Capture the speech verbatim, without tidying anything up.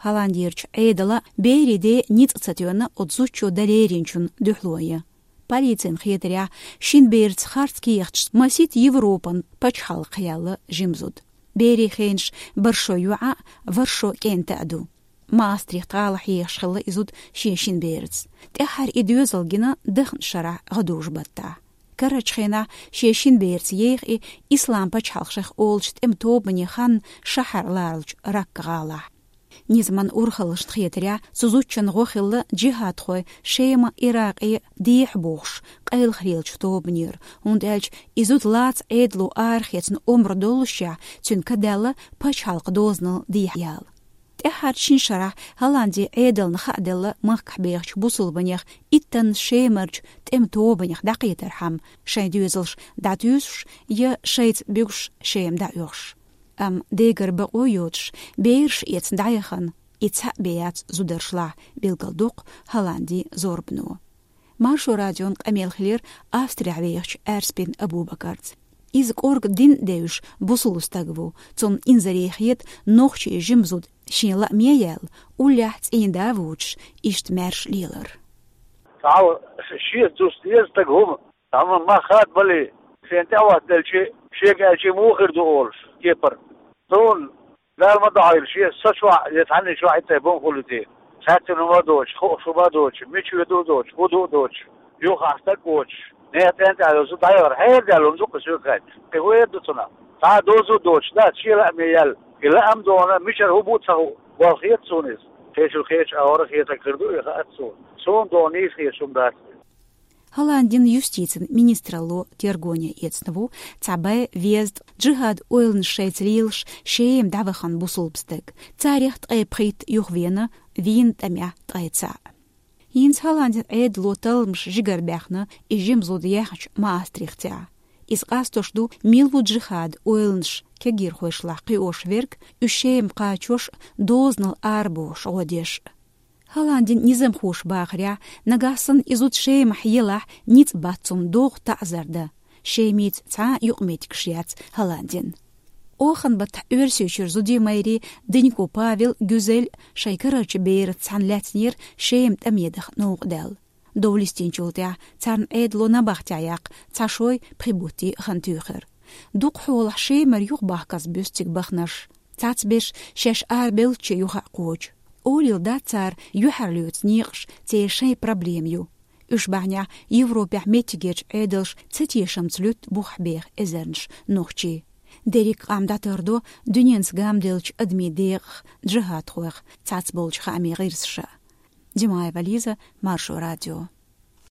Голландерчу Ӏедала берийн ден ницкъ ца тоьна оцу зудчо дан леринчун дуьхьало ян. Полицин хетарехь, шина бераца харц кехаташ масийтта Европан пачхьалкхехь яьлла жима зуда. Берийн хенаш бархӀ шо йоӀ а, ворхӀ шо кӀентий а ду. Маастрихт-гӀалахь ехаш хилла и зуда шен шина бераца. ТӀаьххьара и доьзал гина даханчу шарахь гӀадужу-баттахь. Карарчу хенахь шен шина бераца еха и Ислам пачхьалкх шайх олучу тӀеман тобане хан шахьар лоручу Ракка-гӀалахь. Низаман урхаллашна хетарехь, цу зудчун гӀо хилла джихадхой Шема, Иракъе дехьа бохуш къайлаха лелачу тобанера, хӀунда аьлча и зуда лаца Ӏедало арахецна омра доллушехь, цуьнан ка даьлла пачхьалкхан дозанал дехьаяла. ТӀаьххьарчу шина шарахь Голландин Ӏедална хааделла махкахь бехачу бусулбанех иттанна Шемарчу тӀеман тобанех дӀакхетархьама, шайн доьзалш дӀатуьйсуш я шайца буьгуш Шема дӀаоьхуш. Амма дегара бакъо йоцуш, бераш эцна дӀаяхана и цхьаъ бен яц зударшлахь, билгалдоккху Голландин зорбано. Маршо радион къамел хилира Австрехь вехачу Аьрспин Абубакарца. Иза кӀорга дин а девзаш бусулба стаг ву, цунна инзаре хета нохчийн жима зуда шен лааме яьлла, уллехь цӀийнда а воцуш, иштта маьрша лелар. Цхьа шен дус деза стаг хӀума, амма мах хадабале, шена тӀаьхьахӀоттаделчи, шега аьлчи муха хир ду олуш, кепара. Суна Дала ма дохьийла, шен са чохь я цхьанна чохь и тайпа хӀума хуьлу те. Цхьаьццанхьа хӀума а доцуш, хууш хӀума а доцуш, мича воьду а доцуш, хӀун ду а доцуш, юххехь стаг а воцуш, нехан тӀе а тӀаьхьа йолу зуда дӀаяхар хьерадеш лур ду-кх, соьга хаьттича. Кхин хӀун эр ду цунах? Цхьа а доза а доцуш дац шен лааме яьлла. И лаам а догӀуш, мичара хӀун бу а ца хууш, болх хета суна иза. Кхечул кхечу агӀор а хетарг хир ду и, хаьа суна. Суна догӀуш нийса хеташ хӀума дац иза. Голландин юстицин министралло тергоне эцна ву цхьа бӀе везткъа джихад ойланаш шайца лелаш Шема дӀавахана бусулба стаг. Царех ткъе пхийтта юхавеана, вийна тӀамехь ткъе цхьаъ. ХӀинца Голландин Ӏедало талламаш жигара баьхна и жима зуда яьхначу Маастрихтехь. Иза къастош ду мила ву джихад ойланаш кегийрхошлахь кхиош верг, уьш Шема кхачош а, дозанал арабохуш гӀо деш а. Голландин низамхоша бахарехь, нагахь санна и зуда Шемахь елахь, ницкъ бац цунна доху таӀзар дан. Шемица цхьа а юкъаметтигаш яц Голландин. Оханан баттахь Оьрсийчуьра зудийн майрин Денько Павел, Гюзель шайн карарчу бераца цхьаьна лаьцнера Шема тӀаме даха новкъа даьлла. Дов листинчул тӀаьхьа царна Ӏедало набахтехь яккха цхьа шой, пхи бутт хан туьйхира. Дукха хьолахь Шемара юхабахказ буьсу цига баханарш. Цхьацберш шаьш арабевллачу юха а кхочу. Олийла дац цара юьхьарлоьцу некъаш церан шайн проблема ю. Уьш бахьанехь Европехь меттигерчу Ӏедалша цатешамца луьтту бухахь беха эзарнаш нохчий. Дерриг къам дӀатардо дуьненца гамделлачу адамийн декъах, джихадхойх цхьацболчу хаамийн гӀирсаша. Димаева Лиза, Маршо радио.